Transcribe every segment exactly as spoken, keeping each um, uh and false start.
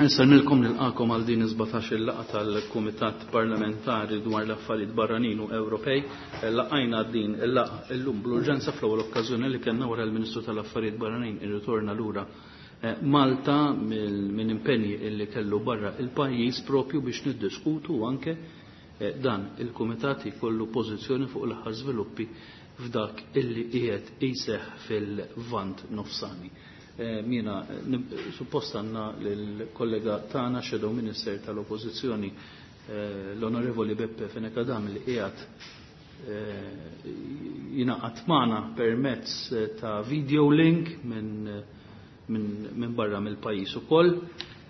Insellmilkom, nilqagħkom għal din is-sbatax-il laqgħa tal-Kumitat Parlamentari dwar l-Affarijiet Barranin u Ewropej. Laqajna din il-laqgħa illum bl-urġenza, fl-ewwel okkażjoni li kellna wara l-Ministru tal-Affarijiet Barranin irritorna lura eh, Malta minn impenji illi kellu barra il-pajjiż, propju biex niddiskutu anke eh, dan il-Kumitat jkollu pożizzjoni fuq l-aħħar żviluppi f'dak illi qiegħed iseħħ fil-Lvant Nofsani. Jiena suppost għandna l-kollega tagħna, Shadow Minister tal-Oppożizzjoni, l-Onorevoli Beppe Fenech Adami, li qiegħed jingħaqad magħna permezz ta' video link minn min, min barra mill-pajjiż ukoll.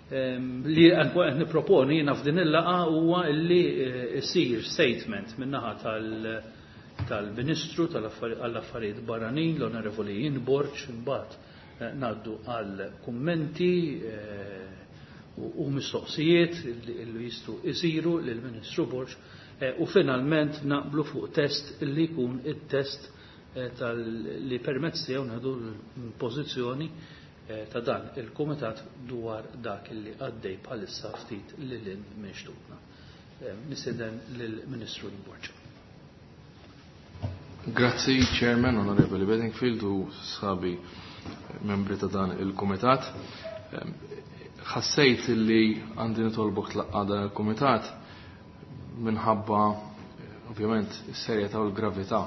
Li qed nipproponi jiena f'din il-laqgħa huwa li jsir statement min-naħa tal- tal-Ministru tal-Affarijiet Barranin, l-Onorevoli Ian Borg, imbagħad ngħaddu għal kummenti u mistoqsijiet li jistgħu isiru lill-Ministru Borg u finalment naqblu fuq test li jkun it-test li permezz tiegħu nieħdu l-pożizzjoni ta' dan il-Kumitat dwar dak li għaddej bħalissa ftit lil hinn minn xtutna. Nistieden lill-Ministru Borg. Grazzi, Chairman, Onorevoli Bedingfield u sħabi membri ta' dan il-Kumitat. Ħassejt li għandi nitolbok tlaqqa dan il-Kumitat minħabba ovvjament is-serjetà u l-gravità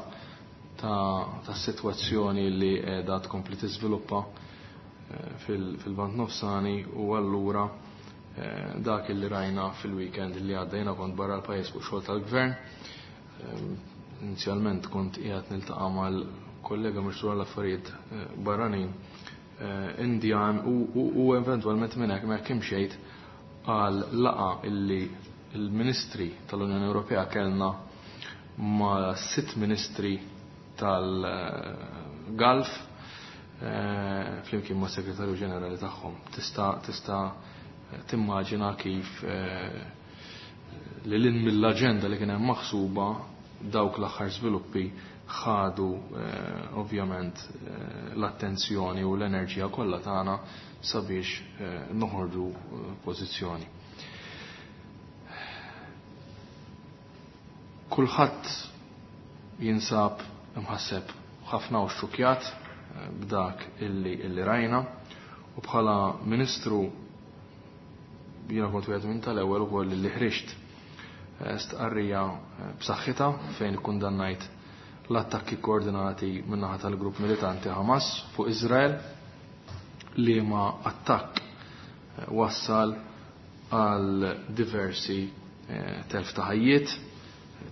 ta' ta' situazzjoni li qiegħda tkompli tiżviluppa fil-Lvant Nofsani u allura dak li rajna fil-weekend li għadda. Jiena kont barra l-pajjiż fuq xogħol tal-gvern. Inizjalment kont qiegħed niltaqa' mal-kollega Ministru għall-Affarijiet Barranin Indjan u eventwalment minn hekk hekk imxejt għal laqgħa illi il-Ministri tal-Unjoni Ewropea kellna ma' sitt ministri tal-Gulf flimkien ma' segretarju ġenerali tagħhom. Tista' tista' timmaġina kif li lin mill-aġenda li kien hemm maħsuba, dawk l-aħħar żviluppi ħadu ovvjament l-attenzjoni u l-enerġija kollha tagħna sabiex noħorġu pożizzjoni. Kulħadd jinsab imħasseb ħafna u xukjat b'dak illi illi rajna u bħala ministru jiena kont wieħed minn tal-ewwel ukoll li ħriġt stqarrija b'saħħitha fejn ikkundannajt l-attakki koordinati min-naħa tal-grupp militanti Hamas fuq Izrael, li ma attakk wassal għal diversi telf ta' ħajjiet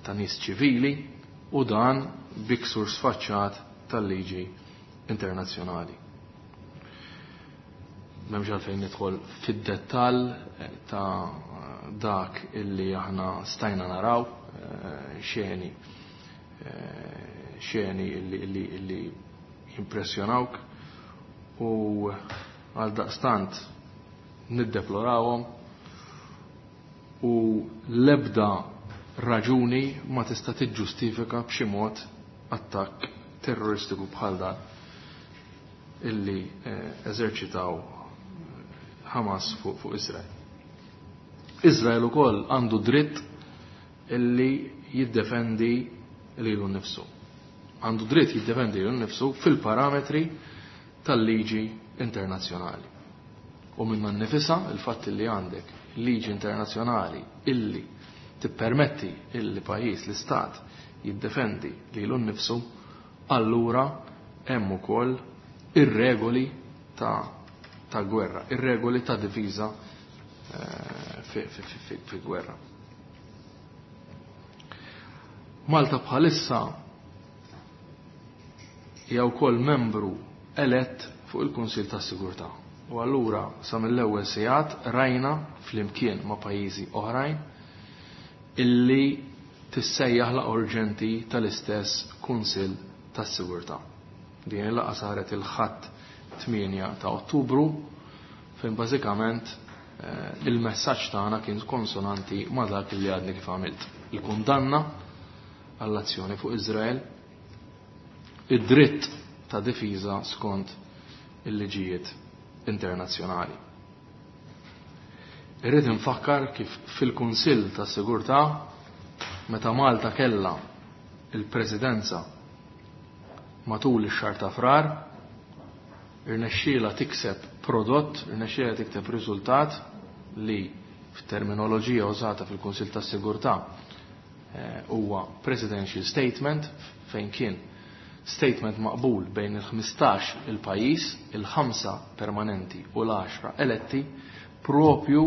ta' nies ċivili u dan bi ksur sfaċċat tal-liġi internazzjonali. M'hemmx għalfejn nidħol fid-dettall ta' dak illi aħna stajna naraw, xeni xeni illi, illi, illi jimpressjonawk u għal daqstant niddeplorawhom u l-ebda raġuni ma tista' tiġġustifika b'xi mod attakk terroristiku bħal dan illi eżerċitaw Hamas fuq fu Izrael. Izrael ukoll għandu dritt illi jiddefendi lilu nnifsu. Għandu dritt jiddefendi lilu nnifsu fil-parametri tal-liġi internazzjonali. U minna nnifisha, il-fatt li għandek liġi internazzjonali illi tippermetti illi pajjiż, l-istat, jiddefendi lilu nnifsu, allura hemm ukoll ir-regoli ta' ta' gwerra, ir-regoli ta' difiża fi, fi, fi, fi gwerra. Malta bħalissa hija wkoll membru elett fuq il-Kunsil tas-Sigurtà. U allura sa mill-ewwel sigħat rajna flimkien ma' pajjiżi oħrajn illi tissejjaħ laqgħa urġenti tal-istess Kunsil tas-Sigurtà. Din il-laqgħa saret il-Ħadd tmienja ta' Ottubru, fejn bażikament il-messaġġ tagħna kien konsonanti ma' dak li għadni kif għamilt. Il-kundanna għall-azzjoni fuq Izrael, id-dritt ta' difiża skont il-liġijiet internazzjonali. Irrid infakkar kif fil-Kunsill tas-Sigurtà meta Malta kellha il-Presidenza matul ix-xahar ta' Frar, irnexxielha tikseb prodott, irnexxielha tikseb riżultat li f'terminoloġija użata fil-Kunsill tas-Sigurtà huwa Presidential Statement, fejn kien statement maqbul bejn il-ħmistax il-pajjiż, il-ħamsa permanenti u l-għaxra eletti, propju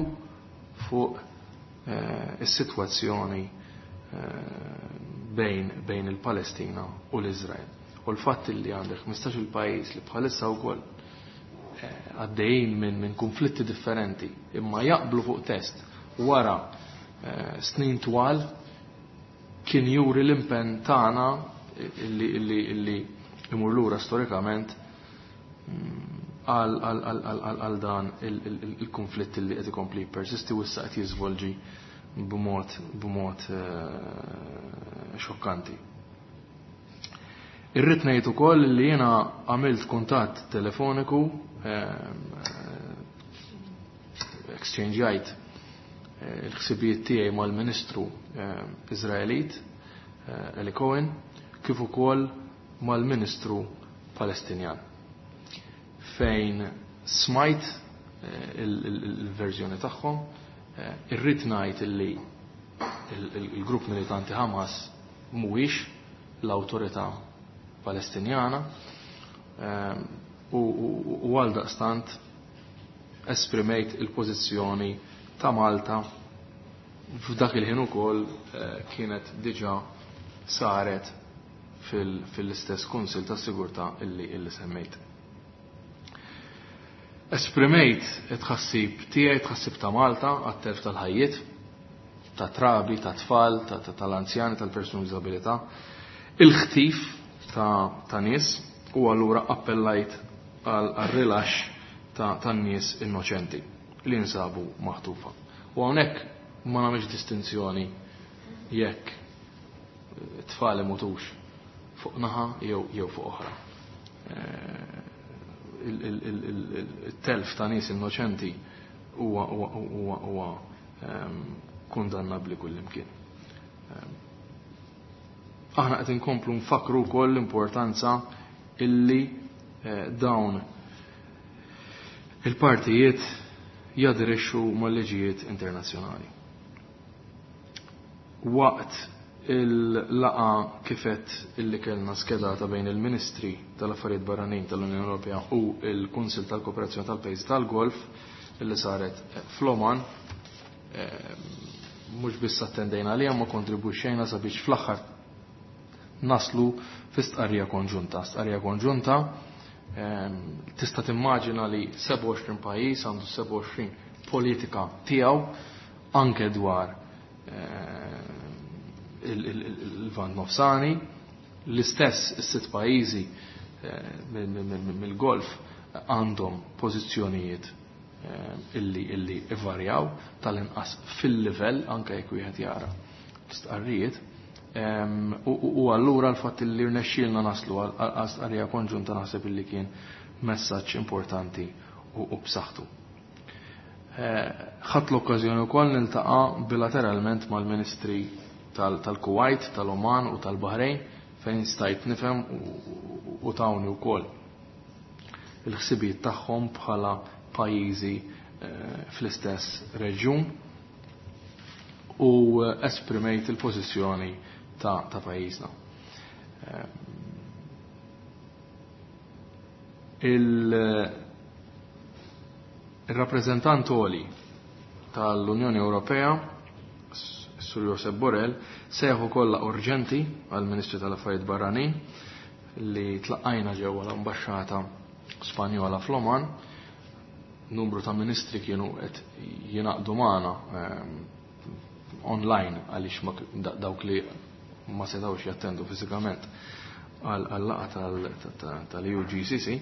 fuq eh, is-sitwazzjoni eh, bejn, bejn il-Palestina u l-Iżrael. U l-fatt li għandek ħmistax il-pajjiż li bħalissa wkoll eh, għaddejjin minn min konflitti differenti imma jaqblu fuq test wara eh, snin twal kien juri l-impenn tagħna illi illi illi imur lura storikament għal għal għal għal għal għal dan il-konflitt li qed ikompli jippersisti u issa qed jiżvolġi b'mod b'mod xokkanti. Irrid ngħid ukoll li jiena għamilt kuntatt telefoniku, exchange-jajt il-ħsibijiet tiegħi mal-Ministru Iżraelit Eli Cohen, kif ukoll mal-Ministru Palestinjan, fejn smajt il-verżjoni tagħhom. Irrid ngħid illi il-grupp militanti Hamas mhuwiex l-awtorità Palestinjana u għaldaqstant esprimejt il-pożizzjoni ta' Malta f'dak il-ħin ukoll kienet diġà saret fil-istess Kunsill tas-Sigurtà illi illi semmejt. Esprimejt it-tħassib tiegħi, tħassib ta' Malta għat-telf tal-ħajjiet, ta' trabi, ta' tfal, tal-anzjani, tal-persuni b'diżabilità, il-ħtif ta' nies, u allura appellajt għal rilaxx ta' nies innoċenti li nsabu maħtufa. U hawnhekk ma nagħmilx distinzjoni jekk tfal imutux fuq naħa jew jew fuq oħra. Il-telf ta' nies innoċenti huwa huwa huwa kundannabbli kullimkien. Aħna qed inkomplu nfakru wkoll l-importanza illi dawn il-partijiet jadirixxu mal-liġijiet internazzjonali. Waqt il-laqa kifet illi kellna skedata bejn il-Ministri tal-Affarijiet Barranin tal-Unjoni Ewropea u il-Kunsil tal-Kooperazzjoni tal-Pajjiż tal-Golf illi saret fl-Oman, mhux biss attendejna għaliha ma kontribwixxejna sabiex fl-aħħar naslu fi stqarrija konġunta. Stqarrija konġunta tista' timmaġina li sebgħa u għoxrin pajjiż għandu sebgħa u għoxrin politika tiegħu anke dwar il-Lvant Nofsani, l-istess is-sitt pajjiżi mill-Golf għandhom pożizzjonijiet illi illi ivarjaw tal-inqas fil-livell anke jekk wieħed jara l-istqarrijiet. U allura l-fatt li rnexxielna naslu għal stqarrija konġunta naħseb illi kien messaġġ importanti u b'saħħtu. Ħadt l-okkażjoni wkoll niltaqa' bilateralment mal-Ministri tal-Kuwait, tal-Oman u tal-Bahrejn fejn stajt nifhem u tawni wkoll il-ħsibijiet tagħhom bħala pajjiżi fl-istess reġjun u esprimejt il-pożizzjoni ta', ta pajjiżna. Il-rappreżentant għoli tal-Unjoni Ewropea, Sur Josep Borrell, seħu kollha urġenti għall-Ministru tal-Affarijiet Barranin li tlaqqajna ġewwa l-Ambaxxata Spanjola fl-Oman. Numru ta' ministri kienu qed jingħaqdu magħna online għaliex dawk li ma setgħux jattendu fiżikament għal-laqgħa tal-E U G C C,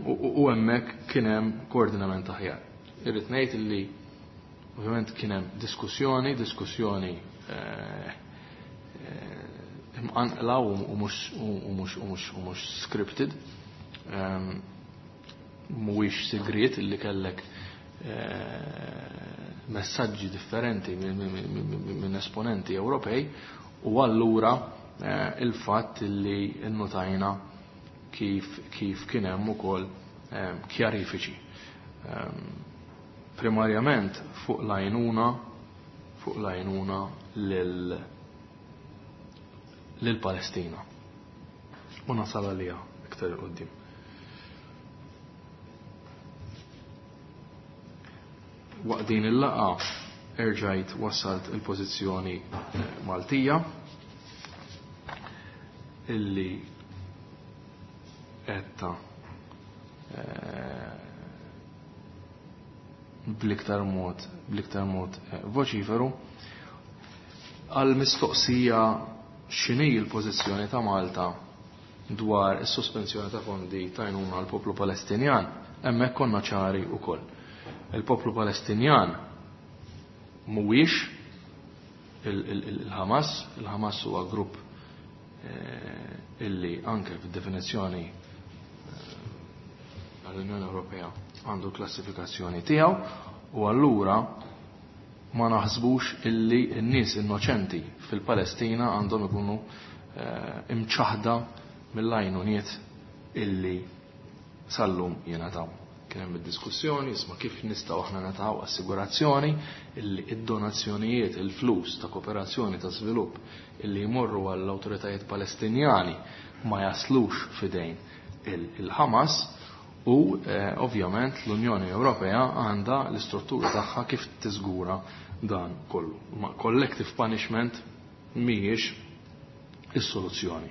u hemmhekk kien hemm koordinament aħjar. Irrid ngħid li ovvjament kien hemm diskussjoni, diskussjoni imqanqla u mhux u mhux u mhux u mhux scripted. Mhuwiex sigriet illi kellek messaġġi differenti minn esponenti Ewropej u allura il-fatt li nnotajna kif kif kien hemm ukoll kjarifiċi. Primarjament fuq l-għajnuna fuq l-għajnuna lil Palestina. U nasal għalija iktar quddiem. Waqt din il-laqgħa erġajt wassalt il-pożizzjoni Maltija illi etta bl-iktar mod bl-iktar mod voċiferu għal mistoqsija x'inhi l-pożizzjoni ta' Malta dwar is-sospensjoni ta' fondi ta' għajnuna għal poplu Palestinjan, hemmhekk konna ċari wkoll. Il-poplu Palestinjan mhuwiex il-Hamas, il-Hamas huwa grupp illi anke fid-definizzjoni għall-Unjoni Ewropea għandu klassifikazzjoni tiegħu u allura ma naħsbux illi n-nies innoċenti fil-Palestina għandhom ikunu imċaħda mill-għajnuniet illi sallum jingħataw. Kien hemm id-diskussjoni isma' kif nistgħu aħna nagħtaw assigurazzjoni illi id-donazzjonijiet, il-flus ta' kooperazzjoni ta' żvilupp illi jmorru għall-awtoritajiet Palestinjani ma jaslux fidejn il-Hamas u ovvjament l-Unjoni Ewropea għandha l-istruttura tagħha kif tiżgura dan kollu. Ma collective punishment mhijiex is-soluzzjoni.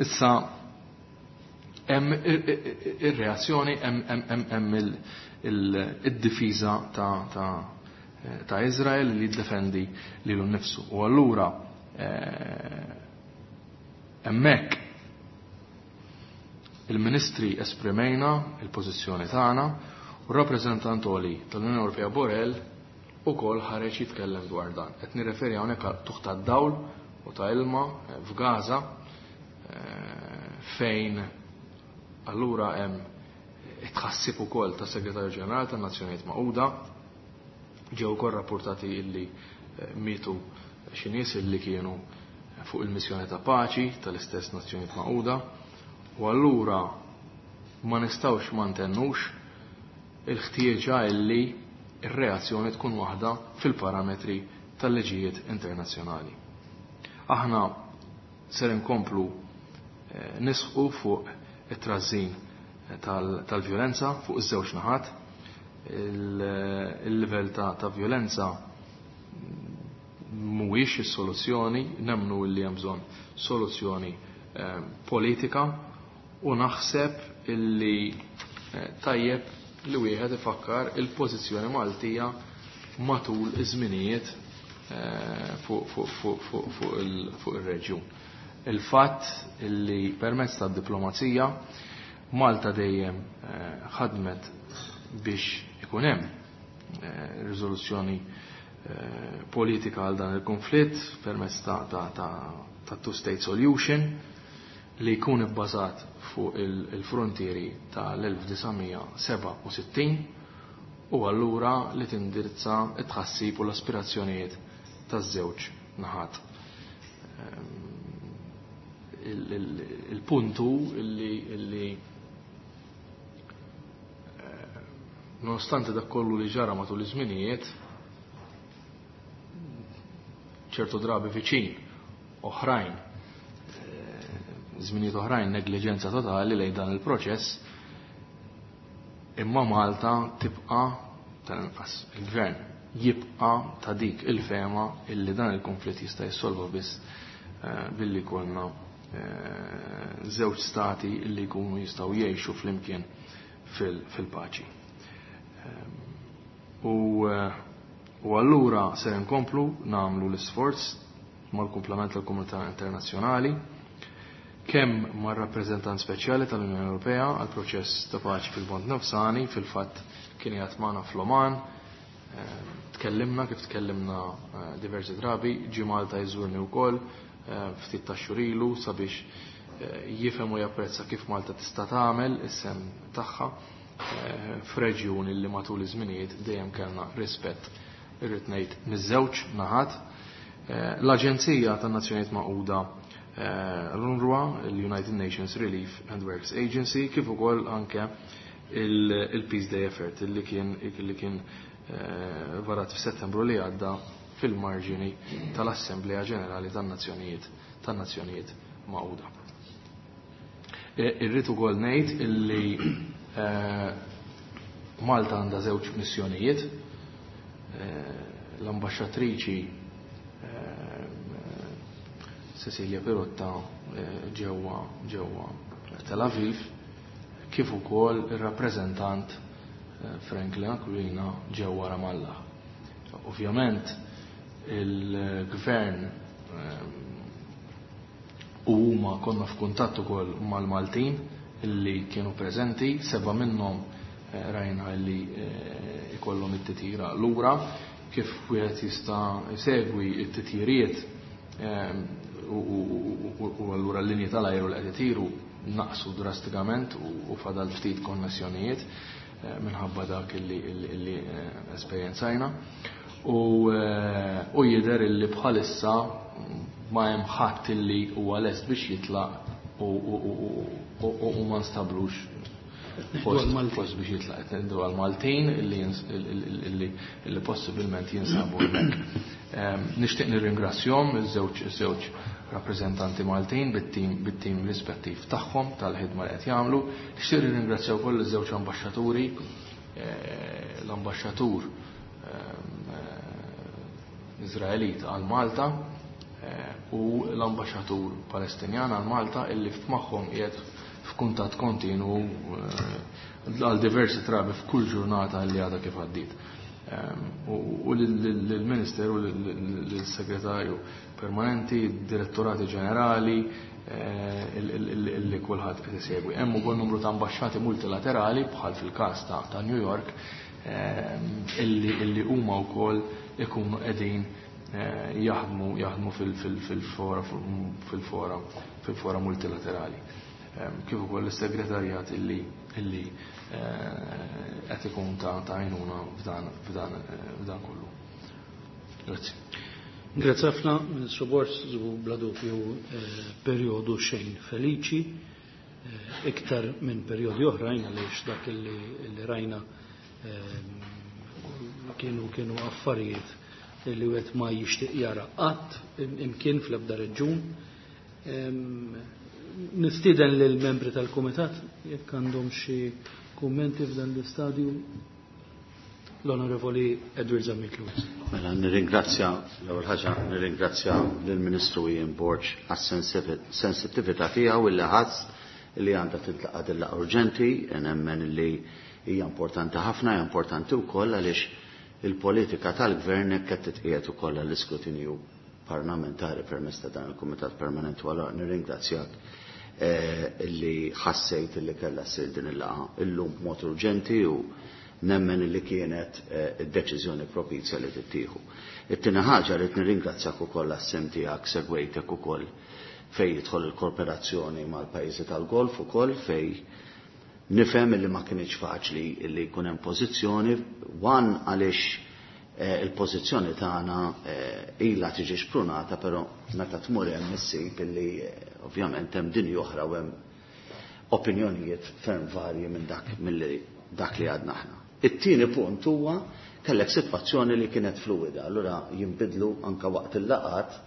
Issa hemm ir-reazzjoni hemm id-difiża ta' ta' ta' Izrael li jiddefendi lilu nnifsu. U allura hemmhekk il-ministri esprimejna il-pożizzjoni tagħna u r-rappreżentant għoli tal-Unjoni Ewropea Borrell ukoll ħareġ jitkellem dwar dan. Qed nirreferi hawnhekk għal tuħ tad-dawl u ta' ilma f'Gaza fejn allura hemm it-tħassib ukoll ta' Segretarju Ġenerali tan-Nazzjonijiet Magħquda ġew ukoll rapportati illi mietu xi nies illi kienu fuq il-missjoni ta' paċi tal-istess Nazzjonijiet Magħquda u allura ma nistgħux ma ntennux il-ħtieġa illi ir-reazzjoni tkun waħda fil-parametri tal-liġijiet internazzjonali. Aħna ser inkomplu nisħu fuq it-trażżin tal-vjolenza fuq iż-żewġ naħat. Il-livell ta' vjolenza mhuwiex is-soluzzjoni, nemmnu li hemm bżonn soluzzjoni politika u naħseb illi tajjeb li wieħed ifakkar il-pożizzjoni Maltija matul iż-żminijiet fuq ir-reġjun. Il-fatt illi permezz tad-diplomazija Malta dejjem ħadmet biex ikun hemm riżoluzzjoni politika għal dan il-konflitt permezz ta' ta' ta' two-state solution li jkun ibbażat fuq il-frontieri tal-elf disa' seba' u sittin u allura li tindirizza t-tħassib u l-aspirazzjonijiet taż-żewġ naħat. Il-puntu illi nonostante dak kollu li ġara matul iż-żminijiet ċertu drabi viċin oħrajn, żminijiet oħrajn negliġenza totali lejn dan il-proċess, imma Malta tibqa' tal-inqas il-gvern jibqa' ta' dik il-fema illi dan il-konflitt jista' jissolva biss billi jkollna żewġ stati illi jkunu jistgħu jgħixu flimkien fil-paċi. U allura ser inkomplu nagħmlu l-isforz mal-kumplament tal-komunità internazzjonali kemm mar-rappreżentant speċjali tal-Unjoni Ewropea għal proċess ta' paċi fil-Lvant Nofsani, fil-fatt kien qiegħed magħna fl-Oman, tkellimna kif tkellimna diversi drabi, ġie Malta jżurni wkoll ftit ta' xhur ilu sabiex jifhem u japprezza kif Malta tista' tagħmel is-sem tagħha f'reġjun li matul iż-żminijiet dejjem kellna rispett, irrid ngħid, miż-żewġ naħat. L-Aġenzija tan-Nazzjonijiet Magħquda, l-UNRWA, l-United Nations Relief and Works Agency, kif ukoll anke il-Peace Day Effort li kien li kien varat f'Settembru li għadda fil-marġini tal-Assemblea Ġenerali tan-Nazzjonijiet tan-Nazzjonijiet Magħquda. Irrid ukoll ngħid illi Malta għandha żewġ missjonijiet, l-ambaxxatriċi Cecilia Pirotta ġewwa ġewwa Tel Aviv, kif ukoll ir-rappreżentant Franklin Aquilina ġewwa Ramallah. Ovvjament il-gvern u huma konna f'kuntatt ukoll mal-Maltin illi kienu preżenti, seba' minnhom rajna illi ikollhom it-titjira lura, kif wieħed jista' jsegwi t-titjiriet u allura l-linji tal-ajru li qed itiru naqsu drastikament u fadal ftit konnessjonijiet minħabba dak illi esperjenzajna. U jidher illi bħalissa ma hemm ħadd illi huwa lest biex jitlaq u ma nstablux post biex jitlaq. Ngħidu għall-Maltin illi possibilment jinsabu hemmhekk. Nixtieq nirringrazzjahom iż-żewġ iż-żewġ rappreżentanti Maltin bit-tim bit-tim rispettiv tagħhom tal-ħidma li qed jagħmlu. Nixtieq nirringrazzja wkoll iż-żewġ ambaxxaturi, l-ambaxxatur Iżraelit għal Malta u l-ambaxxatur Palestinjan għal Malta illi f'magħhom qiegħed f'kuntatt kontinu għal diversi drabi f'kull ġurnata li għadha kif għaddiet. U lill-Ministeru, lill-Segretarju Permanenti, Direttorati Ġenerali, illi kulħadd qed isegwi. Hemm ukoll numru ta' ambaxxati multilaterali bħal fil-każ ta' New York illi huma wkoll ikunu qegħdin jaħdmu jaħdmu fil-fora fil-fora fil-fora multilaterali. Kif ukoll is-segretarjat illi illi qed ikun ta' għajnuna f'dan f'dan f'dan kollu. Grazzi. Grazzi ħafna, Ministru Borg, bla dubju perjodu xejn feliċi, iktar minn perjodi oħrajn għaliex dak illi rajna kienu kienu affarijiet li wieħed ma jixtieq jara qatt imkien fl-ebda reġjun. Nistieden lill membri tal-Kumitat jekk għandhom xi kummenti f'dan l-istadju. L-Onorevoli Edward Zammit Lewis. Mela nirringrazzja, l-ewwel ħaġa nirringrazzja lill-Ministru Ian Borg għas-sensittività tiegħu illi ħass li għandha tintlaqa' din laqgħa urġenti, nemmen li hija importanti ħafna, hija importanti wkoll għaliex il-politika tal-gvern hekk qed titqiegħed ukoll għall-iskrutinju parlamentari permezz ta' dan il-Kumitat Permanenti, u allura nirringrazzjak illi ħassejt illi kellha ssir din il-laqgħa illum b'mod urġenti u nemmen illi kienet id-deċiżjoni propizja li tittieħu. It-tieni ħaġa li nirringrazzjak ukoll għas-sem tiegħek, segwejtek ukoll fejn jidħol il-kooperazzjoni mal-pajjiżi tal-Golf ukoll, fejn nifhem illi ma kienx faċli illi jkun hemm pożizzjoni, one għaliex il-pożizzjoni tagħna ilha tiġi xprunata, però meta tmur hemm issib illi ovvjament hemm dinja oħra u hemm opinjonijiet ferm varji minn dak milli dak li għadna aħna. It-tieni punt huwa kellek sitwazzjoni li kienet fluida, allura jinbidlu anka waqt il-laqat,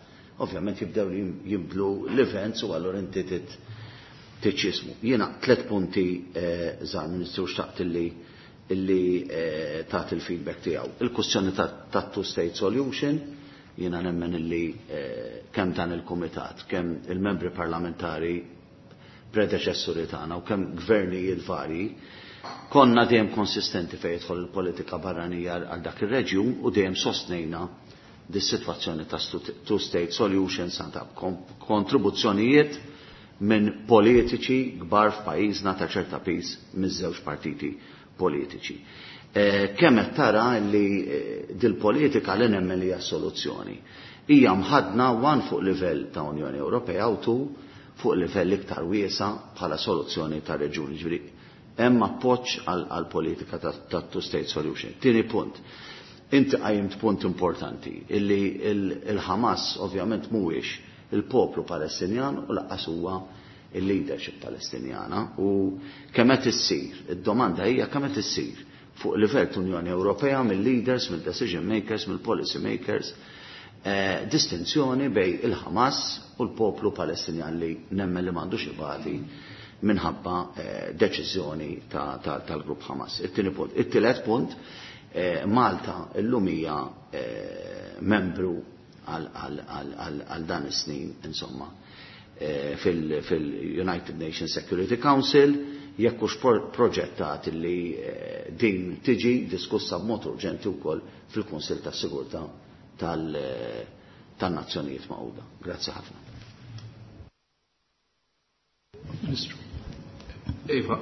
ovvjament jibdew jinbidlu l-events u allura inti tiċċismu. Jiena tliet punti żgħar, Ministru, xtaqt illi illi tagħti il-feedback tiegħu. Il-kwestjoni ta' two-state solution, jiena nemmen illi kemm dan il-kumitat, kemm il-membri parlamentari predeċessuri tagħna u kemm gvernijiet varji, konna dejjem konsistenti fejn jidħol il-politika barranija għal dak ir-reġjun u dejjem sostnejna dis-sitwazzjoni ta' two-state solution santa kontribuzzjonijiet minn politiċi kbar f'pajjiżna ta' ċerta piż miż-żewġ partiti politiċi. Kemm qed tara li dil-politika li nemmen li hija soluzzjoni hija mħadna one fuq livell ta' Unjoni Ewropea u two fuq livell iktar wiesa bħala soluzzjoni ta' reġjuni. Ġifieri Hemm appoġġ għall-politika ta' two-state solution. Tieni punt. Inti qajjimt punt importanti illi il-Hamas ovvjament mhuwiex il-poplu Palestinjan u lanqas huwa il-leadership Palestinjana u kemm qed issir, id-domanda hija kemm qed issir fuq livell Unjoni Ewropea mill-leaders, mill-decision makers, mill-policy makers, eh, distinzjoni bejn il-Hamas u l-poplu Palestinjan li nemmen li m'għandux ibati minħabba eh, deċiżjoni tal-grupp Hamas. It-tieni punt. It-tielet punt, eh, Malta illum hija membru għal dan is-snin, insomma, fil-United Nations Security Council, jekk hux proġettat li din tiġi diskussa b'mod urġenti wkoll fil-Kunsill tas-Sigurtà tan-Nazzjonijiet Magħquda. Grazzi ħafna. Ministru. Iva,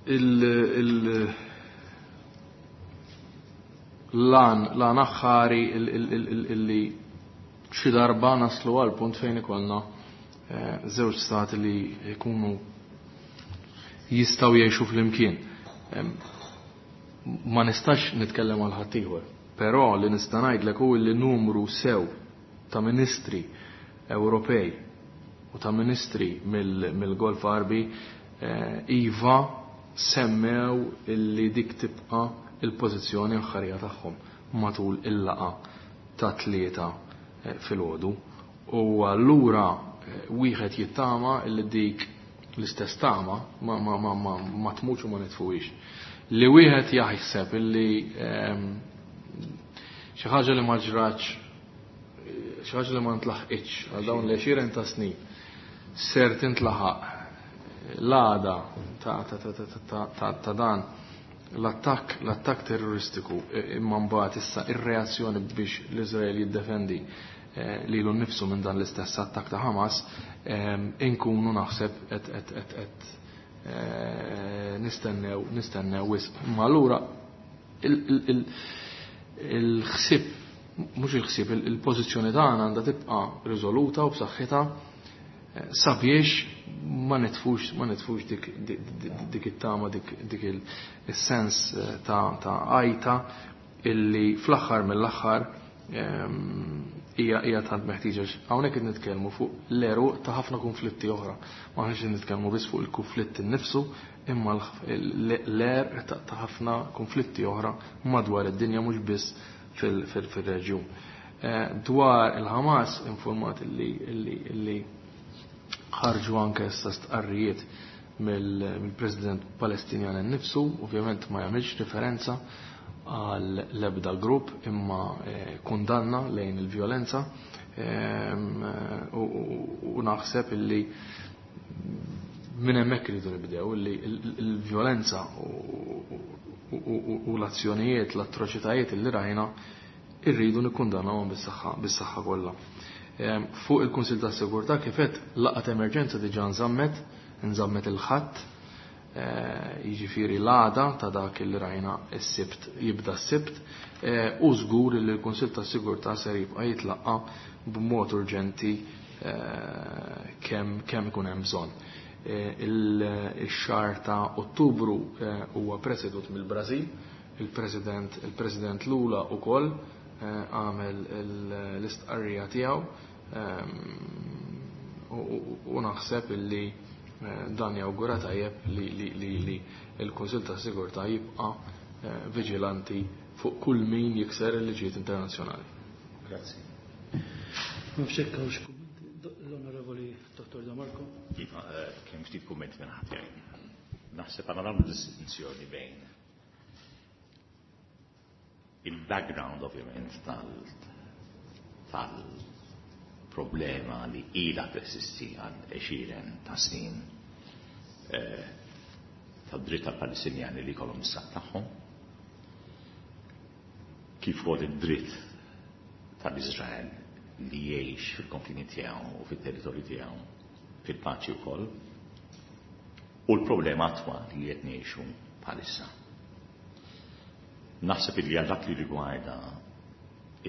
il lan lan aħħari illi xi darba naslu għal punt fejn ikollna żewġ stati li jkunu jistgħu jgħixu flimkien. Ma nistax nitkellem għal ħaddieħor, però li nista' ngħidlek hu li numru sew ta' ministri Ewropej u ta' ministri mill-Golf Għarbi iva semmew illi dik tibqa' il-pożizzjoni aħħarija tagħhom matul il-laqa ta' tlieta filgħodu. U allura wieħed jittama illi dik l-istess tama ma ma ma ma ma tmutx u ma nitfuhiex. Li wieħed jaħseb illi xi ħaġa li ma ġratx, xi ħaġa li ma ntlaħqitx għal dawn l-għexieren ta' snin ser tintlaħaq l-għada ta' ta' ta' ta' ta' ta' dan l-attakk l-attakk terroristiku, imma mbagħad issa ir-reazzjoni biex l-Iżrael jiddefendi lilu nnifsu minn dan l-istess attakk ta' Hamas, inkunu naħseb qed qed qed qed nistennew nistennew wisq. Imma allura il-ħsieb, mhux il-ħsieb, il-pożizzjoni tagħna għandha tibqa' riżoluta u b'saħħitha sabiex ma nitfux ma nitfux dik dik it-tama, dik dik is-sens ta' ta' għajta illi fl-aħħar mill-aħħar hija hija tant meħtieġa. Hawnhekk qed nitkellmu fuq l-għeruq ta' ħafna konflitti oħra. Ma aħniex qed nitkellmu biss fuq il-konflitt innifsu, imma l-għerq ta' ħafna konflitti oħra madwar id-dinja, mhux biss fil-reġjun. Dwar il-Hamas informat illi illi ħarġu anke issa stqarrijiet mill-President Palestinjan innifsu, ovvjament ma jagħmilx referenza għal l-ebda grupp imma kundanna lejn il-vjolenza, u naħseb illi minn hemmhekk iridu nibdew illi il-vjolenza u l-azzjonijiet, l-atroċitajiet illi rajna irridu nikkundannawhom bis-saħħa bis-saħħa kollha. Fuq il-Kunsill tas-Sigurtà kif qed laqgħa emerġenza diġà nżammet, nżammet il-Ħadd, jiġifieri l-għada ta' dak li rajna s-Sibt, jibda s-Sibt, u żgur li l-Kunsill tas-Sigurtà ser jibqa' jitlaqqa b'mod urġenti kemm kemm ikun hemm bżonn. Ix-xahar ta' Ottubru huwa presedut mill-Brażil, il-President il-President Lula wkoll għamel l-istqarrija tiegħu, u naħseb illi dan jawgura tajjeb li li li li l-Kunsill tas-Sigurtà jibqa' viġilanti fuq kull min jikser il-liġijiet internazzjonali. Grazzi. L-Onorevoli Dottor De Marco. Iva, kemm ftit kumment minn ħadd jgħid. Naħseb għandna nagħmlu distinzjoni bejn il-background ovvjament tal-problema li ilha teżisti għal għexieren ta' snin tad-dritt tal-Palestinjani li jkollhom is-stat tagħhom, kif ukoll id-dritt tal-Iżrael li jgħix fil-konfini tiegħu u fit-territorju tiegħu fil-paċi wkoll, u l-problema attwali li qed ngħixu bħalissa. Naħseb li għal dak li rigwarda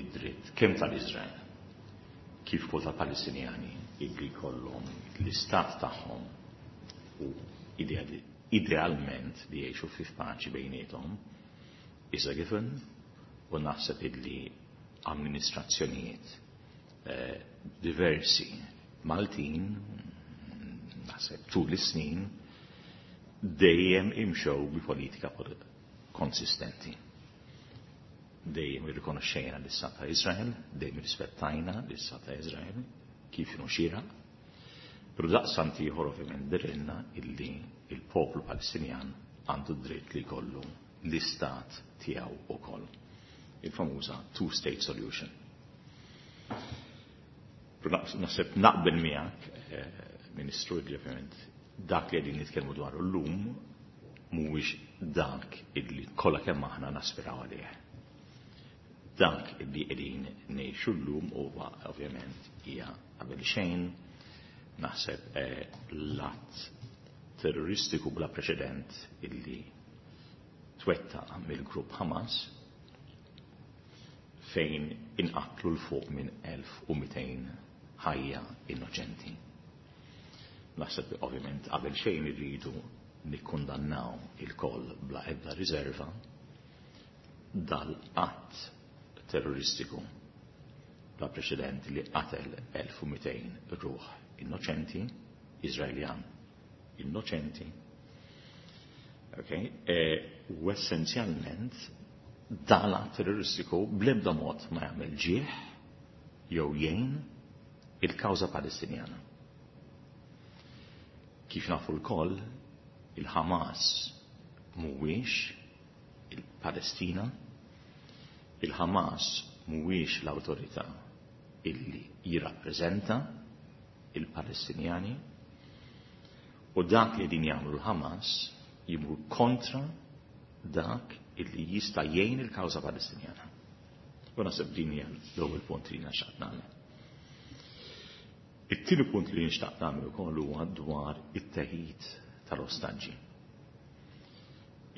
id-dritt kemm tal-Iżrael kif ukoll tal-Palestinjani illi jkollhom l-istat tagħhom u Idealment li jgħixu fi paċi bejniethom is a given, u naħseb illi amministrazzjonijiet eh, diversi Maltin, naħseb tul is-snin, dejjem imxew bi politika konsistenti. Dejjem irrikonoxxejna l-Istat ta' Izrael, dejjem irrispettajna l-Istat ta' Izrael, kif inhu xieraq. Però daqstant ieħor ovvjament dirilna illi il-poplu Palestinjan għandu dritt li jkollu l-istat tiegħu ukoll. Il-famuża two-state solution. Però naħseb naqbel miegħek, eh, Ministru, li ovvjament dak li qegħdin nitkellmu dwaru llum mhuwiex dak illi kollha kemm aħna naspiraw għalih. Dak illi qegħdin ngħixu llum huwa ovvjament hija qabel xejn naħseb eh, l-att terroristiku bla preċedent illi twettaq mill-grupp Hamas fejn inqatlu 'l fuq minn elf u mitejn ħajja innoċenti. Naħseb ovvjament qabel xejn irridu nikkundannaw il-koll bla ebda riserva dal-att terroristiku bla preċedent li qatel elf u mitejn ruħ innoċenti, Izraeljan innoċenti. Okay? E, u essenzjalment dal-att terroristiku bl-ebda mod ma jagħmel ġieħ jew jgħin il-kawża Palestinjana. Kif nafu lkoll, il-Hamas mhuwiex il-Palestina, il-Hamas mhuwiex l-awtorità illi jirrappreżenta il-Palestinjani, u dak li din jagħmlu l-Hamas jimur kontra dak illi jista' jgħin il-kawża Palestinjana. U naħseb din hija l-ewwel punt li nixtieq nagħmel. It-tieni punt li nixtaq nagħmel ukoll huwa dwar it-teħid tal-ostaġġi.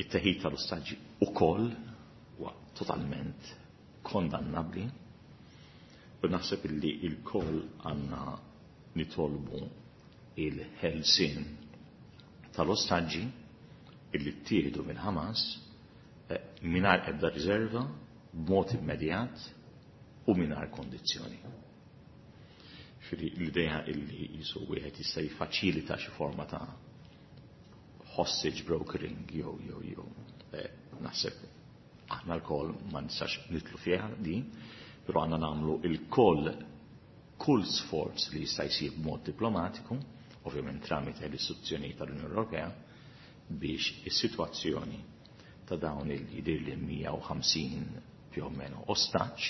It-teħid tal-ostaġġi ukoll huwa totalment kondannabbli u naħseb illi il-koll għandna nitolbu il-ħelsien tal-ostaġġi illi ttieħdu minn Hamas eh, mingħajr ebda riserva, b'mod immedjat u mingħajr kondizzjoni. Ġifieri l-idea illi jisu wieħed jista' jiffaċilita xi forma ta' hostage brokering jew jew jew eh, naħseb aħna lkoll ma nistax nidħlu fiha di, però għandna nagħmlu il-koll kull sforz li jista' jsir b'mod diplomatiku, ovvjament tramite l-istituzzjoni tal-Unjoni Ewropea, biex is-sitwazzjoni ta' dawn il-jidir li mija u ħamsin più o meno ostaġġ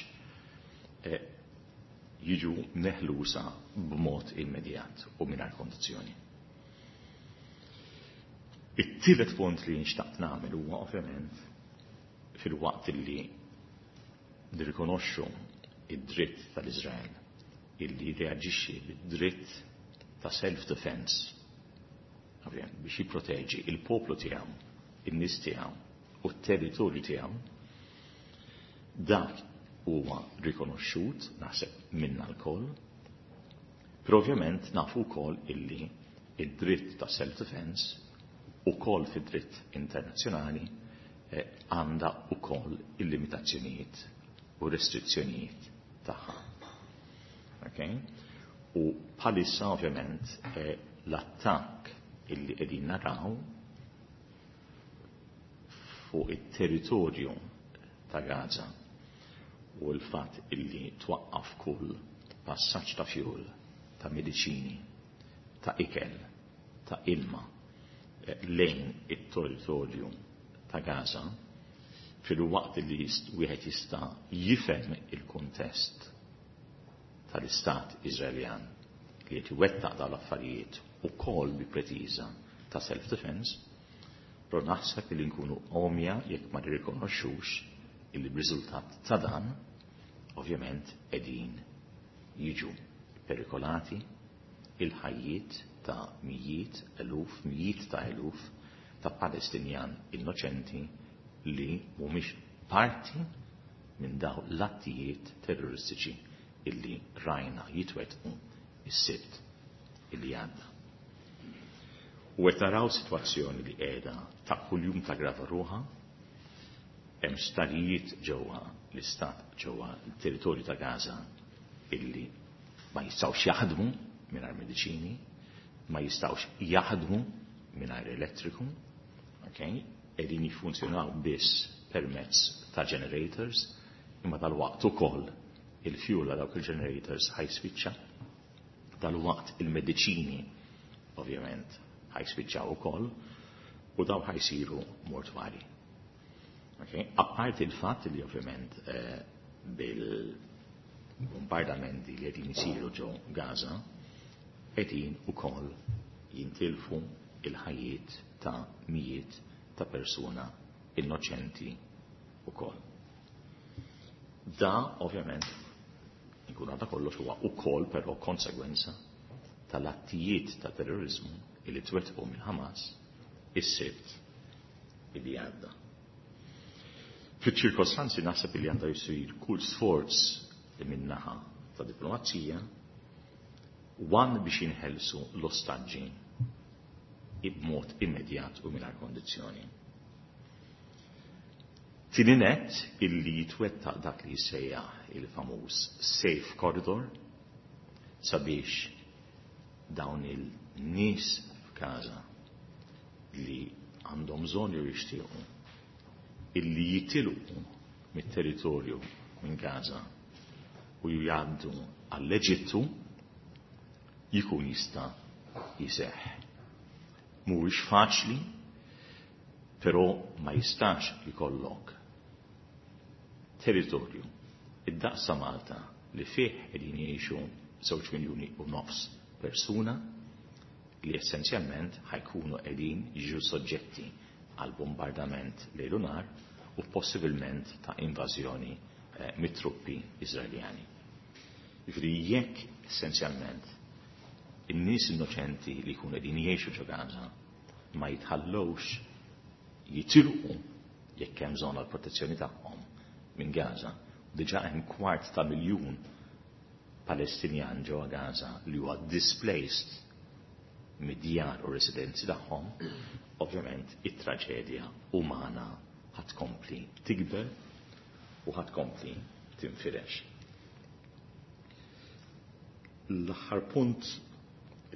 eh, jiġu meħlusa b'mod immedjat u mingħajr kondizzjoni. It-tielet punt li nxtaqt nagħmel huwa ovvjament fil-waqt li nirrikonoxxu id-dritt tal-Iżrael illi reaġixxi bid-dritt ta' self-defense, ovvjament biex jipproteġi il-poplu tiegħu, in-nies tiegħu u t-territorju tiegħu, dak huwa rikonoxxut naħseb minna lkoll. Però ovvjament nafu wkoll illi id-dritt ta' self-defense ukoll fid-dritt internazzjonali eh, għandha ukoll il-limitazzjonijiet u restrizzjonijiet tagħha. Okay? U bħalissa ovvjament eh, l-attakk illi qegħdin naraw fuq it-territorju ta' Gaza u l-fatt illi twaqqaf kull passaġġ ta' fuel, ta' mediċini, ta' ikel, ta' ilma eh, lejn it-territorju ta' Gaza, fil-waqt li wieħed jista' jifhem il-kuntest tal-Istat Iżraeljan li qed iwettaq dawn l-affarijiet ukoll bi pretiża ta' self-defense, però naħseb li nkunu għomja jekk ma nirrikonoxxux illi b'riżultat ta' dan ovvjament qegħdin jiġu perikolati il-ħajjiet ta' mijiet, eluf, mijiet ta' eluf ta' Palestinjan innoċenti li mhumiex parti minn daw l-attijiet terroristiċi illi rajna jitwetqu is-Sibt illi għadda. U qed naraw sitwazzjoni li qiegħda ta' kuljum taggrava ruħha, hemm sptarijiet ġewwa l-istat ġewwa l-territorju ta' Gaza illi ma jistgħux jaħdmu mingħajr mediċini, ma jistgħux jaħdmu mingħajr elettriku, okay? Qegħdin jiffunzjonaw biss permezz ta' generators, imma dal-waqt ukoll il-fuel għal dawk il-generators ħa jispiċċa, dal-waqt il-mediċini ovvjament ħa jispiċċaw ukoll u daw ħa jsiru mortwari. Okay? Apparti il-fatt li ovvjament eh, bil-bombardamenti li qegħdin isiru ġo Gaza qegħdin ukoll jintilfu il-ħajjiet ta' mijiet ta' persuna innoċenti ukoll. Da ovvjament inkun għadha kollox huwa ukoll però konsegwenza tal-attijiet ta' terrorizmu illi twettqu mill-Hamas is-Sibt illi għadda. Fiċ-ċirkostanzi naħseb illi għandha jsir kull sforz li min-naħa ta' diplomazija one biex jinħelsu l-ostaġġi b'mod immedjat u mingħajr kondizzjoni. Tieni nett illi jitwettaq dak li jissejjaħ il-famuż safe corridor sabiex dawn il-nies f'Gaza li għandhom bżonn jew jixtiequ illi jitilqu mit-territorju minn Gaza u jgħaddu għall-Eġittu jikun jista' jseħħ. Mhuwiex faċli, però ma jistax ikollok territorju id-daqs ta' Malta li fih qegħdin jgħixu żewġ miljuni u nofs persuna li essenzjalment ħa jkunu qegħdin jiġu soġġetti għal bombardament lejl u nhar u possibilment ta' invażjoni eh, mit-truppi Iżraeljani. Jiġifieri jekk essenzjalment in-nies innoċenti li jkunu qegħdin jgħixu ġo Gaza ma jitħallewx jitilqu jekk hemm bżonn għall protezzjoni tagħhom minn Gaza, diġà hemm kwart ta' miljun Palestinjan ġewwa Gaza li huwa displaced mid-djar u residenzi tagħhom, ovvjament it-traġedja umana ħa tkompli tikber u ħa tkompli tinfirex. L-aħħar punt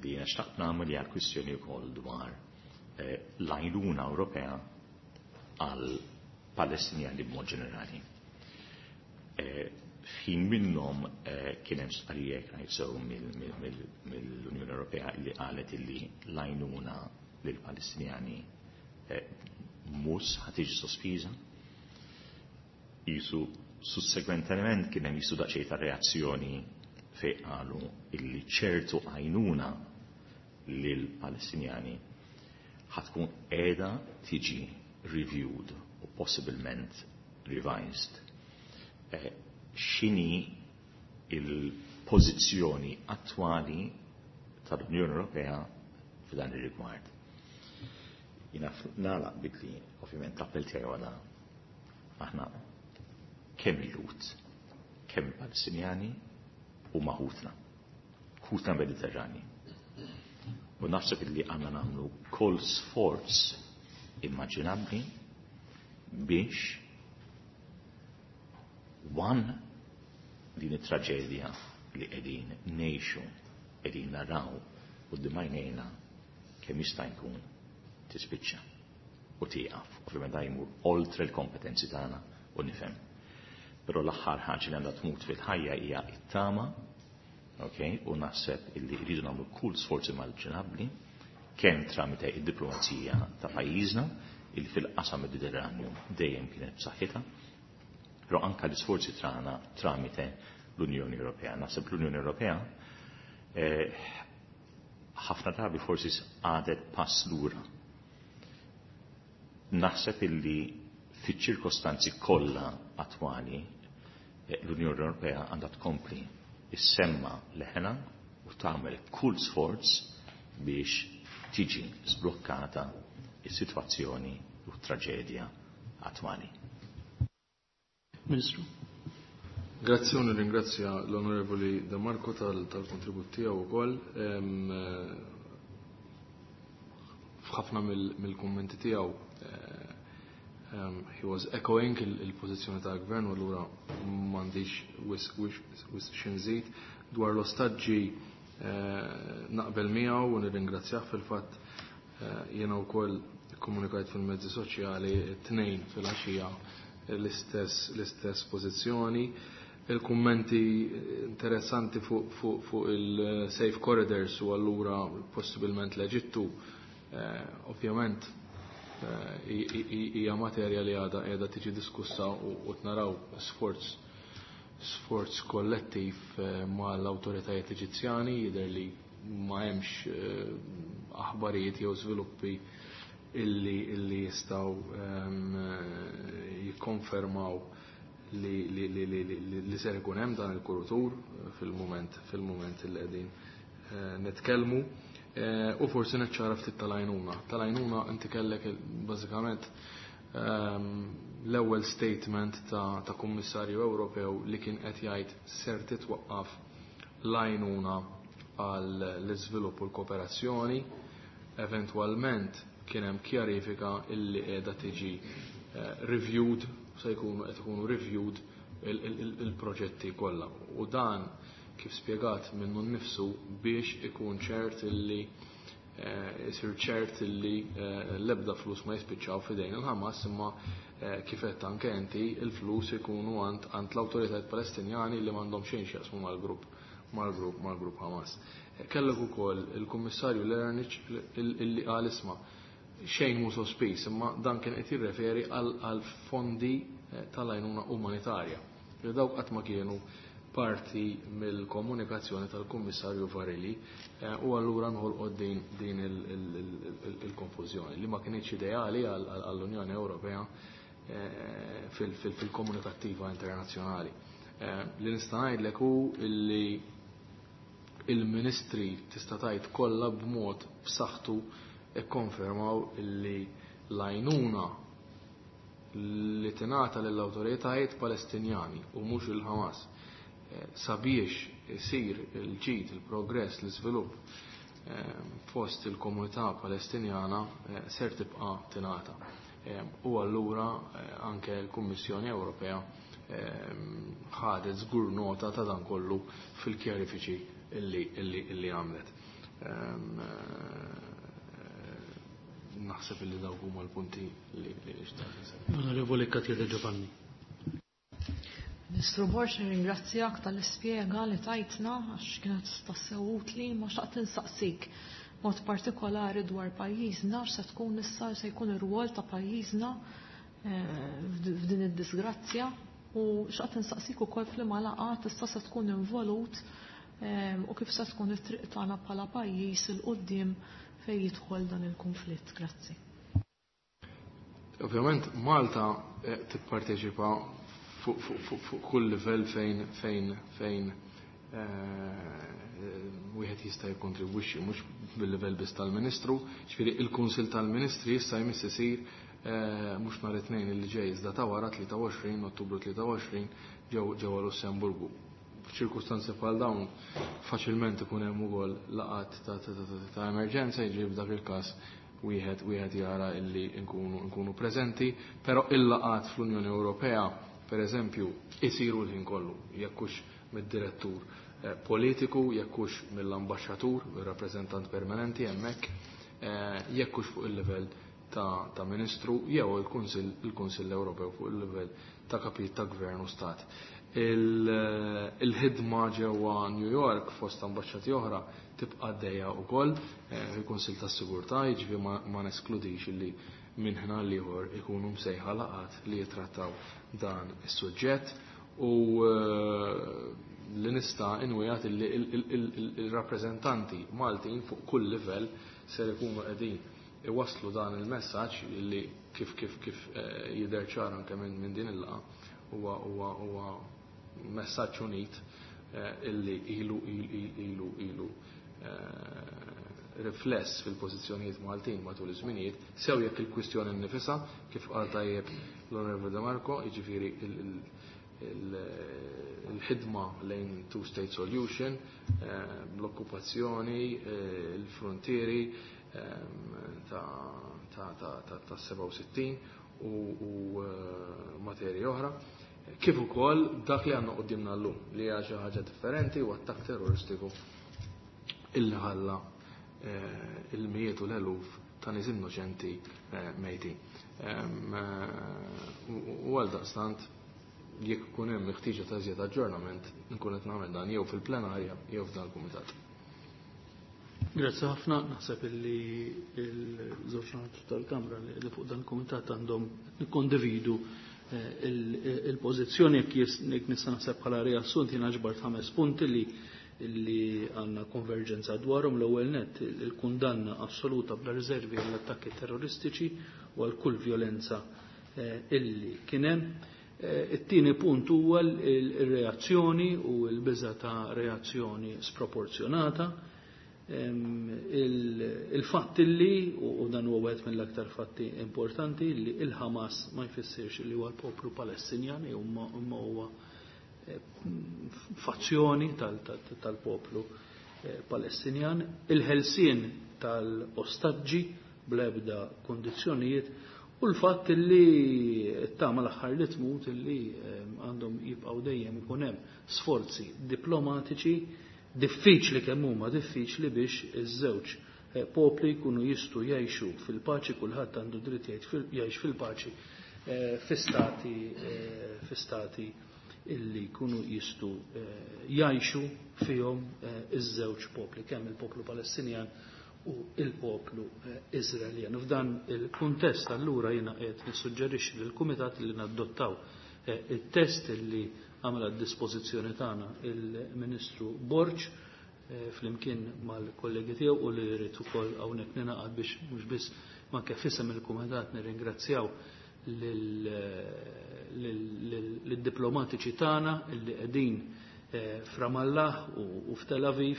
li jiena xtaqt nagħmel hija kwistjoni wkoll dwar eh, l-għajnuna Ewropea għal Palestinjani b'mod ġenerali. Eh, F'ħin minnhom eh, kien hemm stqarrija jsew mill-Unjoni Ewropea li qalet illi l-għajnuna lill-Palestinjani mhux ħa tiġi sospiża. Jisu sussegwentement kien hemm jisu daqsxejn ta' reazzjoni fejn qalu illi ċertu għajnuna lill-Palestinjani ħa tkun qiegħda tiġi reviewed u possibilment revised. Eh, x'inhi il-pożizzjoni attwali tal-Unjoni Ewropea f'dan ir-rigward? Jiena nagħlaq billi ovvjament l-appell tiegħi għala aħna kemm il-Lhud, kemm il-Palestinjani huma ħutna, ħutna Mediterrani. U naħseb illi għandna nagħmlu kull sforz immaġinabbli biex one din it-traġedja li qegħdin ngħixu, qegħdin naraw quddiem għajnejna kemm jista' jkun tispiċċa u tieqaf. Ovvjament da jmur oltre l-kompetenzi tagħna u nifhem. Però l-aħħar ħaġa li għandha tmut fil-ħajja hija it-tama, okay? U naħseb illi rridu nagħmlu kull sforzi immaġinabbli kemm tramite id-diplomazija ta' pajjiżna illi fil-qasam Mediterranju dejjem kienet b'saħħitha, però anka l-isforzi tagħna tramite l-Unjoni Ewropea. Naħseb l-Unjoni Ewropea eh, ħafna drabi forsi għadet pass lura. Naħseb illi fiċ-ċirkostanzi kollha attwali eh, l-Unjoni Ewropea għandha tkompli issemma leħena u tagħmel kull sforz biex tiġi sblokkata is-sitwazzjoni u traġedja attwali. Ministru. Grazzi u nirringrazzja l-Onorevoli De Marco tal-kontribut tiegħu wkoll. F'ħafna mill-kummenti tiegħu um, he was echoing il-pożizzjoni tal-gvern u allura m'għandix wisq xi nżid. Dwar l-ostaġġi naqbel miegħu u nirringrazzjah fil-fatt jiena wkoll ikkomunikajt fil-mezzi soċjali t-tnejn filgħaxija l-istess l-istess pożizzjoni. Il-kummenti interessanti fuq fu, fu il-safe corridors u allura possibilment l-Eġittu, eh, ovvjament hija materja li għadha qiegħda tiġi diskussa u naraw sforz sforz kollettiv mal-awtoritajiet Eġizzjani. Jidher li ma hemmx aħbarijiet jew żviluppi illi illi jistgħu jikkonfermaw li li li li li, li ser ikun hemm dan il-kurutur fil-mument fil-mument li qegħdin nitkellmu. U forsi niċċara ftit tal-għajnuna. Tal-għajnuna inti kellek bażikament l-ewwel statement ta', ta' Kummissarju Ewropew li kien qed jgħid ser titwaqqaf l-għajnuna għall iżvilupp u l-kooperazzjoni. Eventwalment kien hemm kjarifika illi qiegħda tiġi reviewed, se jkunu qed ikunu reviewed il-proġetti kollha. U dan kif spjegat minnu nnifsu biex ikun ċert illi isir ċert illi l-ebda flus ma jispiċċaw f'idejn il-Ħamas, imma kif qed anke inti il-flus ikunu għand l-awtoritajiet Palestinjani li m'għandhom xejn x'jaqsmu mal-grupp mal-grupp mal-grupp Ħamas. Kellek ukoll il-Kummissarju Lernic illi qal isma' xejn mhu sospiż, imma dan kien qed jirreferi għal fondi tal-għajnuna umanitarja. Li dawk qatt ma kienu parti mill-komunikazzjoni tal-Kummissarju Varelli u allura nħolqot din din il-konfużjoni li ma kinitx ideali għall-Unjoni Ewropea fil-komunikattiva internazzjonali. Li nista' ngħidlek hu li il-ministri tista' tgħid kollha b'mod b'saħħtu ikkonfermaw illi l-għajnuna li tingħata lill-awtoritajiet Palestinjani u mhux il-Ħamas sabiex isir il-ġid, il-progress, l-iżvilupp fost il-komunità Palestinjana ser tibqa' tingħata. U allura anke l-Kummissjoni Ewropea ħadet żgur nota ta' dan kollu fil-kjarifiċi illi, illi, illi għamlet. Naħseb illi dawk huma l-punti li li xtaqt. Onorevoli Katia De Giovanni. Ministru Borg, nirringrazzjak tal-ispjega li tajtna għax kienet tassew utli, ma xtaqt insaqsik mod partikolari dwar pajjiżna x'se tkun issa se jkun ir-rwol ta' pajjiżna f'din id-disgrazzja u xtaqt insaqsik ukoll f'liema laqgħat issa se tkun involut u kif se tkun it-triq tagħna bħala pajjiż il quddiem fejn jidħol dan il-konflitt. Grazzi. Ovvjament Malta tipparteċipa fuq kull livell fejn fejn fejn wieħed jista' jikkontribwixxi, mhux bil-livell biss tal-Ministru, ġifieri il-Kunsill tal-Ministri issa jmiss isir mhux nhar it-tnejn li ġej iżda ta' wara tlieta u għoxrin Ottubru tlieta u għoxrin ġewwa Lussemburgu. F'ċirkustanzi bħal dawn faċilment ikun hemm ukoll laqgħat ta' emerġenza, jiġri f'dak il-każ wieħed wieħed jara illi nkunu nkunu preżenti, però il-laqgħat fl-Unjoni Ewropea per eżempju isiru l-ħin kollu, jekk hux mid-direttur politiku, jekk hux mill-ambaxxatur, ir-rappreżentant permanenti hemmhekk, jekk hux fuq il-livell ta', ta' ministru jew il-Kunsill il-Kunsill Ewropew fuq il-livell ta' kapit ta' gvern u stat. Il-ħidma ġewwa New York fost ambaxxati oħra tibqa' għaddejja wkoll fil-Kunsill tas-Sigurtà, jiġifieri ma, ma neskludix illi minn ħna l-ieħor ikunu msejħa laqgħat li jitrattaw dan is-suġġett u li nista' inwijat illi il-rappreżentanti Maltin fuq kull livell ser ikunu qegħdin iwasslu dan il-messaġġ li kif kif kif jidher ċar anke minn din il-laqgħa huwa huwa huwa messaġġ unit illi ilu ilu ilu rifless fil-pożizzjonijiet Maltin matul iż-żminijiet, sew jekk il-kwistjoni nnifisha, kif qal tajjeb l-Onorevoli De Marco, jiġifieri il-ħidma lejn two-state solution, l-okkupazzjoni, il-frontieri, ta' sebgħa u sittin u materji oħra, kif ukoll dak li għandna quddiemna llum li hija xi ħaġa differenti u attakk terroristiku illi ħalla il-mijiet u l-eluf ta' nies innoċenti mejtin. U għal daqstant jekk ikun hemm ħtieġa ta' iżjed aġġornament nkun qed nagħmel dan jew fil-plenarja jew f'dan il-kumitat. Grazzi ħafna, naħseb illi l-żewġ naħat tal-Kamra li fuq dan il-kumitat għandhom nikkondividu il-pożizzjoni jekk nista' naħseb bħala riassunt jiena ġbart ħames punti li li għandna konverġenza dwarhom. L-ewwel nett il-kundanna assoluta bla riservi għall-attakki terroristiċi u għal kull violenza illi kien hemm. It-tieni punt huwa l-reazzjoni u l-biża ta' reazzjoni sproporzjonata. Il-fatt illi, u dan huwa wieħed mill-aktar fatti importanti, li il-Hamas ma jfissirx li huwa l-poplu Palestinjan, imma huwa fazzjoni tal-poplu Palestinjan, il-ħelsien tal-ostaġġi bl-ebda kondizzjonijiet, u l-fatt li t-tama l-aħħar li tmut illi għandhom jibqgħu dejjem ikun hemm sforzi diplomatiċi diffiċli kemm huma diffiċli biex iż-żewġ popli jkunu jistgħu jgħixu fil-paċi, kulħadd għandu dritt jgħix fil-paċi fi stati fi stati illi jkunu jistgħu jgħixu fihom iż-żewġ popli, kemm il-poplu Palestinjan u il-poplu Iżraeljan. F'dan il-kuntest allura jiena qed nissuġġerixxi lill-Kumitat li nadottaw it-test illi għamel għad-dispożizzjoni tagħna il-Ministru Borg flimkien mal-kollegi tiegħu u li jrid ukoll hawnhekk ninaqad biex mhux biss ma kif isem il-Kumitat nirringrazzjaw lid-diplomatiċi tagħna illi qegħdin f'Ramallah u f'Tel Aviv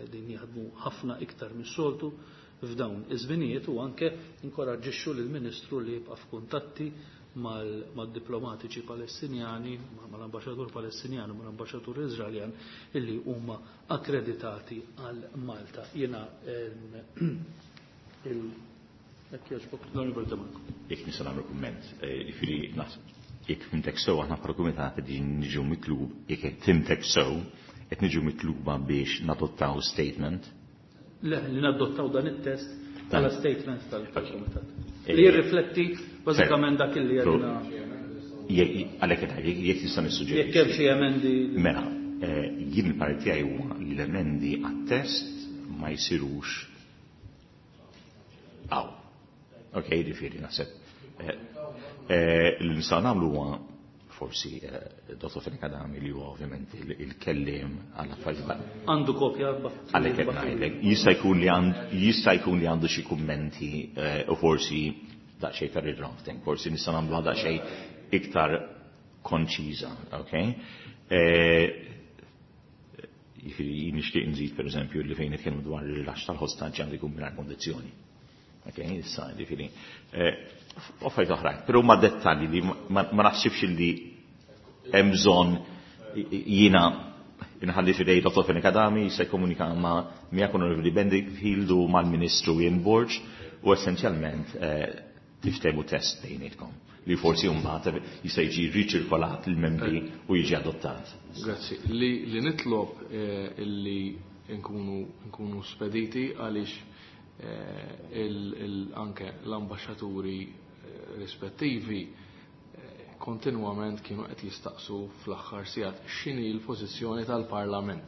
qegħdin jaħdmu ħafna iktar mis-soltu f'dawn iż-żminijiet, u anke inkoraġġixxu lill-Ministru li jibqa' f'kuntatti mal-diplomatiċi Palestinjani, mal-ambaxxatur Palestinjan u mal-ambaxxatur Iżraeljan illi huma akkreditati għal Malta. Jiena il jekk jogħġbok, l-Onorevoli De Marco. Jekk nista' nagħmel kumment, jiġifieri naħseb jekk fimtek sew aħna bħala kumitat qegħdin niġu mitlub, jekk fimtek sew qed niġu mitluba biex nadottaw statement. Le, li nadottaw dan it-test bħala statement tal-kumitat. Li jirrifletti bażikament dak li għedna. Għalhekk qed ngħid, jekk nista' nissuġġerixxi. Jekk hemm xi emendi. Mela, jien il-parti tiegħi huwa li l-emendi għat-test ma jsirux hawn. Ok, jiġifieri naħseb. Li nistgħu nagħmlu huwa forsi Dottor Fenech Adami li huwa ovvjament il-kelliem għal affarijiet. Għandu kopja għalhekk qed ngħidlek. Jista' jkun li jista' jkun li għandu xi kummenti u forsi daqsxejn ta' redrafting, forsi nistgħu nagħmluha daqsxejn iktar konċiża, ok? Jiġifieri nixtieq nżid pereżempju li fejn nitkellmu dwar il-rilaxx tal-ħostaġġi għandu jkun mingħajr kondizzjoni. Ok, issa jiġifieri affarijiet oħrajn, però huma dettalji li ma naħsibx li hemm bżonn jiena inħalli fidej Dottor Fenech Adami se jkomunika ma' miegħek Onorevoli Bedingfield u mal-Ministru Ian Borg u essenzjalment tiftehmu test bejnietkom li forsi mbagħad jista' jiġi riċirkolat lill-membri u jiġi adottat. Grazzi. Li nitlob illi nkunu nkunu spediti għaliex anke l-ambaxxaturi rispettivi kontinwament kienu qed jistaqsu fl-aħħar sigħat x'inhi l-pożizzjoni tal-Parlament.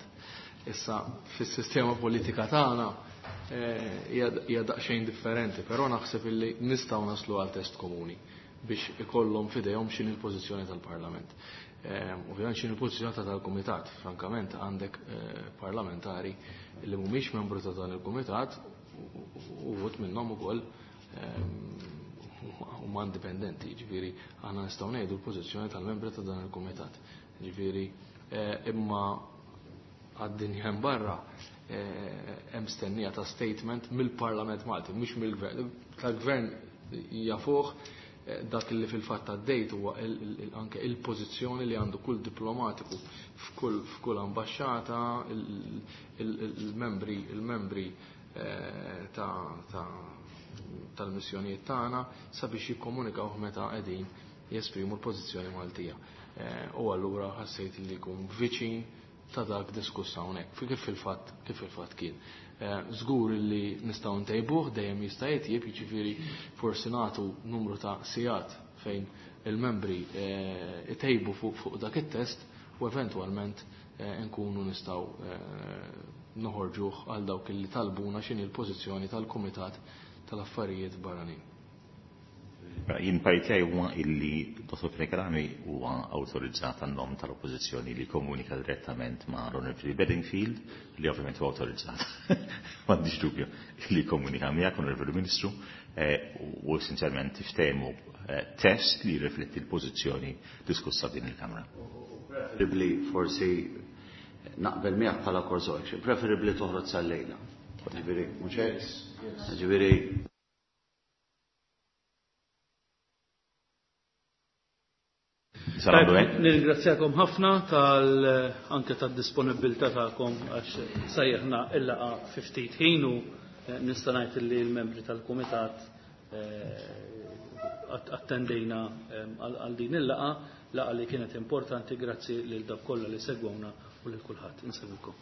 Issa fis-sistema politika tagħna hija daqsxejn differenti, però naħseb illi nistgħu naslu għal test komuni biex ikollhom f'idejhom x'inhi l-pożizzjoni tal-Parlament. Ovvjament x'inhi l-pożizzjoni tal-Kumitat, frankament għandek parlamentari li mhumiex membru ta' dan il-Kumitat u vot minnhom ukoll huma indipendenti, jiġifieri aħna nistgħu ngħidu l-pożizzjoni tal-membri ta' dan il-kumitat. Jiġifieri imma għad-dinja hemm barra hemm stennija ta' statement mill-Parlament Malti, mhux mill-Gvern. Tal-Gvern jafuh dak li fil-fatt għaddejt huwa anke il-pożizzjoni li għandu kull diplomatiku f'kull f'kull ambaxxata, il-membri il-membri tal-missjonijiet tagħna sabiex jikkomunikaw meta qegħdin jesprimu l-pożizzjoni Maltija. U allura ħassejt li jkun viċin ta' dak diskuss hawnhekk, kif fil-fatt kif fil-fatt kien. Żgur li nistgħu ntejbuh, dejjem jista' jitjieb, jiġifieri forsi nagħtu numru ta' sigħat fejn il-membri itejbu fuq dak it-test u eventwalment nkunu nistgħu noħorġuh għal dawk li talbuna x'inhi l-pożizzjoni tal-Kumitat tal-Affarijiet Barranin. Jien parir huwa illi Dottor Fenech Adami huwa awtorizzat għan-nom tal-Oppożizzjoni li komunika direttament ma' Onorevoli Bedingfield, li ovvjament huwa awtorizzat, m'għandix dubju, li komunika miegħek, Onorevoli Ministru, u essenzjalment tiftehmu test li jirrifletti l-pożizzjoni diskussa din il-Kamra. Preferibbli forsi naqbel miegħek bħala course of action, preferibbli toħroġ sal-lejla. Ġifieri, mhux hekk? Ġifieri Nirringrazzjakom ħafna tal anke tad-disponibilità tagħkom għax sejjaħna il-laqgħa fi ftit ħin u nista' ngħid li l-membri tal-kumitat attendejna għal din il-laqgħa, laqgħa li kienet importanti, grazzi lil dawk kollha li segwewna u lil kulħadd. Insellmilkom.